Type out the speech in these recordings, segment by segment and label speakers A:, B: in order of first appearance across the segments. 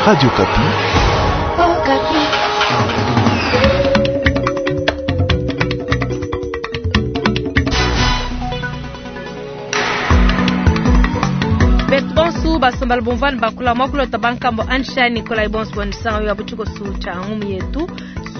A: Radio Okapi.
B: Betu bonsu basombala bomvani bakula mwakulota bankambo Ansha Nikolai bonsu bonisango ya butshikosu tsha ngumu yetu.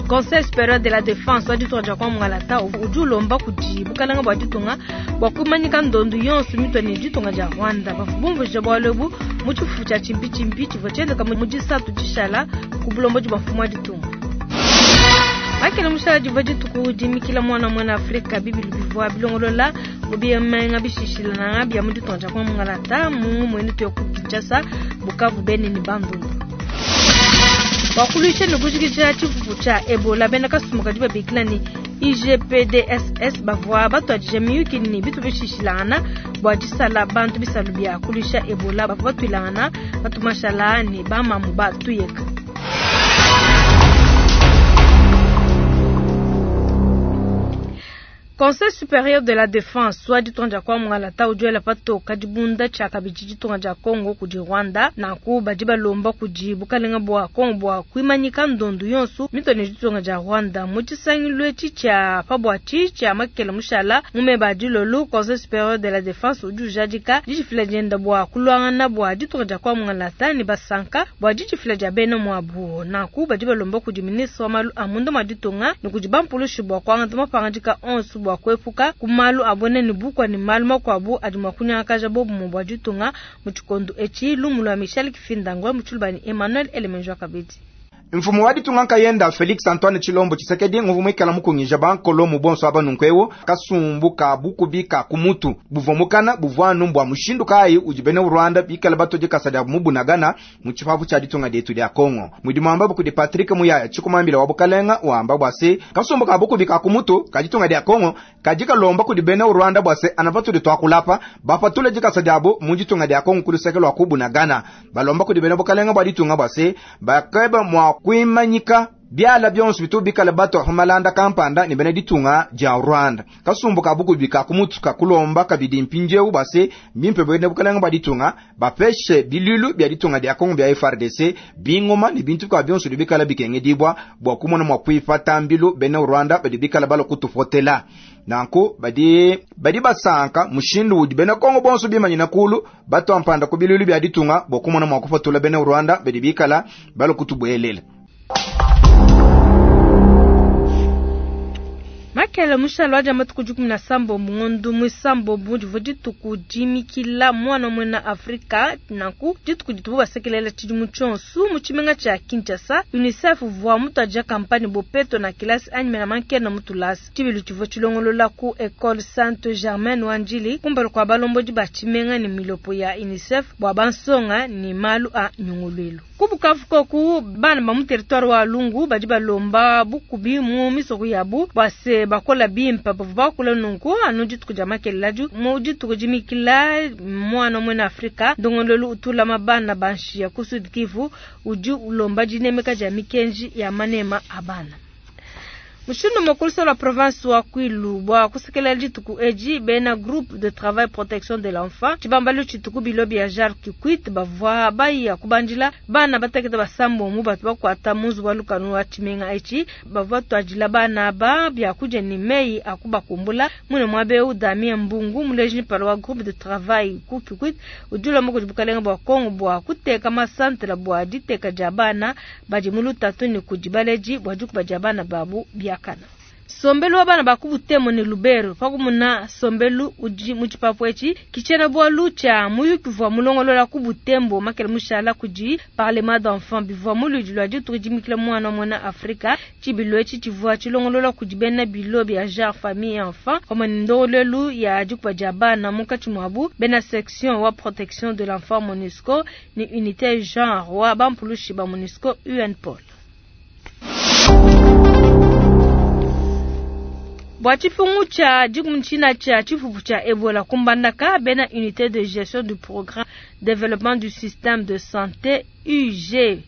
B: Conseil supérieur de la défense wa ditunga dia kwa Mungalata udi ulomba kudi bukalanga bua ditunga bua kumanyika ndondu yonso mitua ne ditunga dia Rwanda. Bavua bumvuija bualu ebu mu tshifufu tshia tshimpitshimpi tshivua tshienzeka mu disatu dishala ku bulombodi bua mfumu wa ditunga. Makele mushala divua dituku dimikila muana muena Afrika bibilu bivua bilongolola mu bimenga bishishilananga bia mu ditunga dia kwa Mungalata mu ngumuenu tuya ku Kinshasa, Bukavu, Beni ne Bandundu. Bua kuluisha ne kujikija tshifufu tshia Ebola, bena kasumbu kadi babikila ne IGPDSS bavua batuadija miyuki ne bitu bishishilangana bua disala bantu bisalu bia kuluisha Ebola. Bavua batuilangana batumashala ne bamamu ba tuyeka. Conseil supérieur de la défense wa ditunga dia kwa Mungalata udi wela patoka dibunda tshia kabidi ditunga dia Congo kudi Rwanda. Nanku badi balomba kudi bukalenga bua Congo bua kuimanyika ndondu yonso mitua ne ditunga dia Rwanda. Mu tshisangilu etshi tshia pa buatshi tshia makele mushala mu meba a dilolo, Conseil supérieur de la défense udi ujadika didifila dienda bua kuluangana bua ditunga dia kwa Mungalata ne basanka bua didifila dia bena muabu. Nanku badi balomba kudi ministre wa malu a munda mua ditunga ne kudi bampulushi bua kuangata mapangadika onso bua kuepuka ku malu a buena ne bukua ne malu makuabu adi mua kunyangakaja bobumue bua ditunga mu tshikondo etshi. Lumu lua Michel Kifindangwe mu tshiluba ne Emmanuel Elemenjwa kabidi.
C: Mfumu wa ditunga nkayenda Felix Antoine Tshilombo Tshisekedi nguvu muikala mukungija bankolo mu bonso aba nunku eu kasumbu ka bukubi ka kumutu buvua mukana buvua anu bua mushindu kayi udi bena Rwanda bikala batodi kasa dia mubunagana mu tshipapu tshia ditunga dietu dia Congo. Mudimu wamba kudi Patrick Muyaya tshikumambila wa bukalenga wamba bua se kasumbu ka bukubi ka kumutu ka ditunga dia Congo kadi kalomba kudi bena Rwanda bua se anavatudi twakulapa bapatule dikasa diabu mu ditunga dia Congo kuluseke lwa kubunagana. Balomba kudi bena bukalenga bua ditunga bua se bakeba mua kuimanyika biala bionso bitu bikala bato humalanda kampanda ne bena ditunga dia Rwanda. Kasumbu ka bukubi ka kumutu ka kulomba kabidi mpindieu bua se bimpe bena bukalenga bua ditunga bapeshe bilulu bia ditunga dia Congo bia FARDC bingoma ne bintu bia bionso bikala bikengedibwa bua kumona mua kuipata mbilu bena Rwanda badi bikala balo kutufotela. Nanku badi basanka mushindu udi bena Congo bonso bimanyina kulu bato ampanda ku bilulu bia ditunga bua kumona mua kufatula bena Rwanda badi bikala balo kutubuelela.
B: Makele mushalo wa matuku dikumi na sambo mungondu mwisambo budi dituku dimikila mwana mwena Afrika nanku dituku ditubu basekelela tshidimu tshionso mu tshimenga tshia Kinshasa. UNICEF vua mutaja kampani bopeto na kilasi anyi mena mankena mutulasi tshibilu tshivua tshilongolola ku Ecole Sainte Germaine wa Ndjili kumpala kua balombodi ba tshimenga ne milopo ya UNICEF bua bansonga ne malu a nyunguluilu. Ku Bukavu koku bana ba mu territoire wa Lungu badi balomba bukubi mu misoko yabu bua se bakola bimpe bavua bakula nunku anu dituku dia makelela mu dituku dimikila mwana mwena Afrika ndongololu utulama bana banshiya ku Sud Kivu udi ulomba dinemeka dia mikenji ya manema a bana. Mushindu mokulusa la province wa Kwilu bua kusekela dituku edi bena groupe de travail protection de l'enfant tshibambalu tshituku bilo bia jar Kikwit bavua baya kubandila bana batekete basambo mu batu bakuata munzu wa lukanu wa tshimenga etshi bavua tuadila bana ba bia kudia ne meyi akubakumbula mune muabe Damien Mbungu muleji palo wa groupe de travail ku Kikwit udi ulomba kudi bukalenga bua Congo bua kuteka masantela bua diteka dia bana badi mu lutatu ne kudi baleji bua dikuba dia bana babu bia kana. Sombelu wa bana bakubutemo ne Lubero pakumuna sombelu udi mu tshipapu etshi kichena bwalu tshia muyuki vua mulongolola kubutembo makele mushala kudi parlement d'enfants bivua muludi lwa dituku dimikila mwana mwana Afrika tshibilu etshi tshivua tshilongolola kudi bena bilo bia genre famille et enfant pamue ne ndongoluelu ya dikuba dia bana munkatshi muabu bena section wa protection de l'enfant MONUSCO ne unité genre wa bampulushi ba MONUSCO UNPOL. Bua tshifungu tshia dikumi tshia tshifufu tshia Ebola kumbandaka bena unité de gestion du programme développement du système de santé UGPDSS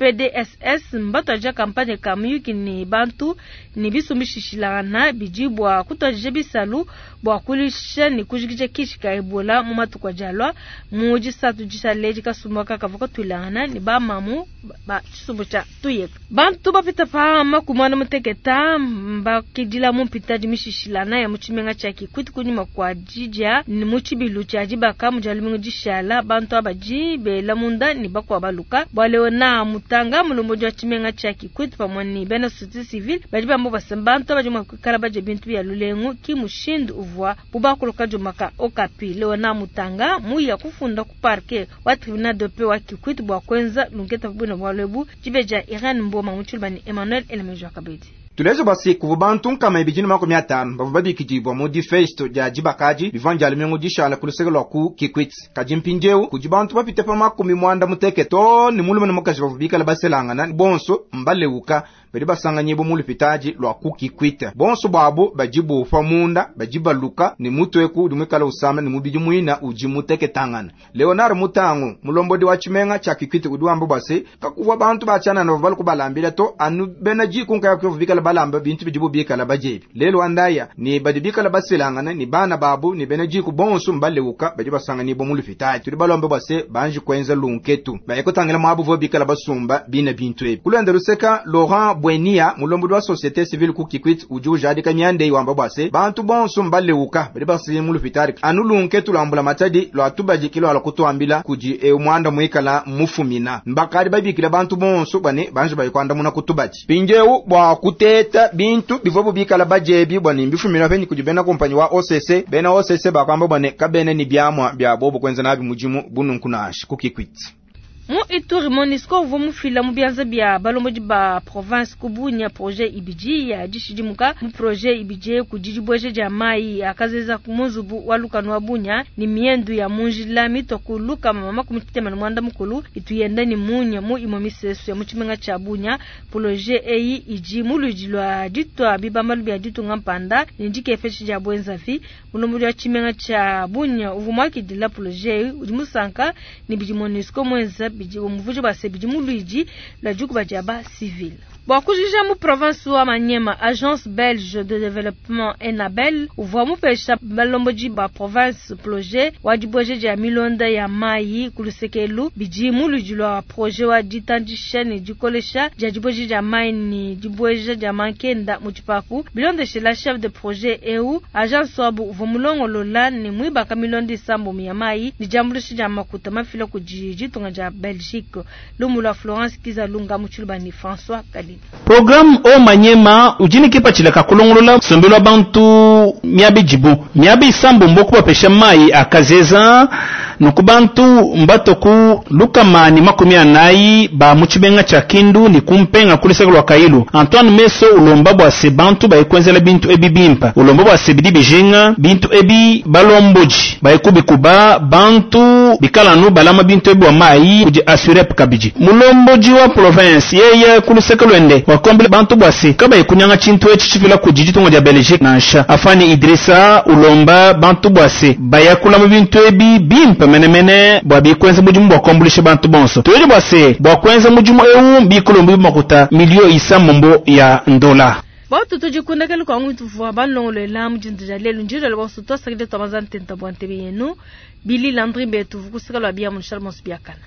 B: PDSS mbatuadija kampanye ka muyuki ne bantu ne bisumbu bishishilangana bidi bua kutuadija bisalu bua kuluisha ne kujikija kishi ka Ebola mu matuku adi alua. Mu disatu dishale edi kasumbu aka kavua katuilangana ne ba mamu ba tshisumbu tshia Tuyeka. Bantu bapita pa makumi muteketa mbakidila mu mpitadi mishishilana ya mu tshimenga tshia Kikwit kunyima kua didia mu tshibilu tshia dibaka mu dia lumingu dishala. Bantu abadi bela munda ne bakua baluka. Bua Leonard Mutanga, mulombodi wa tshimenga tshia Kikwit pamue ne bena société civile badi bamba bua se bantu abadi mua kuikala badia bintu bia lulengu ki mushindu uvua bubakuluka diomaka Okapi. Leonard Mutanga muya kufunda ku parquet wa tribunal de paix wa Kikwit bua kuenza lunketa bwina bualu ebu. Dibeja Irene Mboma mu tshiluba ne Emmanuel Elemejo Kabedi.
C: Tuleje bua se kuvua bantu nkama ibidi ne makumi atanu bavua babikidibua mu difesto dia dibakadi bivua dia lumingu dishala ku luseke lua ku Kikwit. Kadi mpindieu kudi bantu bapite pa makumi muanda muteke too ne mulume ne mukaji bavua bikala baselangana bonso mbaleuka badi basanganyibua mu lupitadi lua ku Kikwit. Bonso buabu badi bupa munda badi baluka ne mutu eku udi muikala usama ne mubidi muina udi muteketangana. Leonard Mutangu mulombodi wa tshimenga tshia Kikwit udi wamba bua se kakuvua bantu batshianana bavua balukubalambila to anu bena diku nkaya bavua bikala balamba bintu bidibu bikala badiebi. Lelo andaya ni badi bikala baselangana ni bana babu ni bena diku bonso mbaleuka badi basanganyibua mu lupitadi. Tudi balombe bua se banji kuenza lunketu bayekutangila muabu bavua bikala basumba bina bintu ebi. Kulwenda luseka Laurent Bwenia mulombodi wa société civile ku Kikwit udi ujadika mianda wamba bua se bantu bonso mbaleuka badi basanganyibua mu lupitadi anu lunketu lwambula matadi lwa tubadi lwala kutuambila kudi e mwanda muikala mufumina mbakadi babikila bantu bonso bane banji bayikwandamuna kutubadi mpindieu bua kuteta bintu bivua bikala badiebi bwane mbifumina penyi kudi bena kompanyi wa OCC. Bena OCC bakwamba bwane kabene ni biamwa bia bobo kuenza nabi mudimu bununku nansha ku Kikwit.
B: Mu Ituri, MONUSCO uvua mufila mu bianza bia balombodi ba province ku Bunia projet ibidi ya dishidimuka. Mu projet ibidi kudi dibueja dia mayi akazeza mu nzubu wa lukanu wa Bunia ne miendu ya mu njila mitua ku lukama makumi tshitema ne muanda mukulu itu yenda ne munya mu imue misesu ya mu tshimenga tshia Bunia. Projet eyi idi mu luidi lua ditua bibambalu bia ditunga mpanda ne dikepesha dia buenzavi. Mulombodi wa tshimenga tshia Bunia uvua muakidila projet eyi udi musanka ne bidi MONUSCO muenza bidi umuvuja bua se bidi mu luidi lua dikuba dia ba civil. Bua kujija mu province wa Maniema, agence belge de développement Enabel uvua mupesha balombodi ba province projet wa dibueja dia milonda ya mayi ku lusekelu bidi mu luidi lua projet wa ditandisha ne dikolesha dia dibueja dia mayi ne dibueja dia mankenda mu tshipapu. Bilondeshela chef de projet eu agence wabu uvua mulongolola ne muibaka milonda isambombo ya mayi ne diambuluisha dia makuta mafila kudi ditunga dia Belgique. Lumu lua Florence Kizalunga mu tshiluba ne François Kalina.
A: Programme o Manyema udi ne kipatshila ka kulongolola nsombelu wa bantu miaba idibu miaba isambombo kubapesha mayi akazeza nuku bantu mbato ku lukama ni makumi anayi ba mu tshimenga tshia Kindu ni kumpenga ku luseke lua Kailu. Antoine Meso ulomba bua se bantu bayikwenzela bintu ebi bimpa, ulomba bua se bidi bijinga bintu ebi balomboji bayikubikuba bantu bikala nu balama bintu ebi bua mayi kudi assurep kabidi. Mulomboji wa province yeye ku luseke lwende wakombela bantu bua se kabayikunyanga tshintu etshi tshifila kudi ditunga dia Belgique nansha. Afani Idrissa ulomba bantu bua se bayakulama bintu ebi bimpe menemene bua bikwenza mudimu bua kuambulisha bantu bonso. Tuyeje bua se bua kuenza mudimu eu bikulomba makuta milio isambombo ya ndola.
B: Batu tujikundakela kwa ngu tuvua balongolola mujindu dia lelu njira le bonso twasakile twamaza ntenta bua ntebe yenu Billy Landry Mbetu vukusika lwa bia mu Charles Biakana.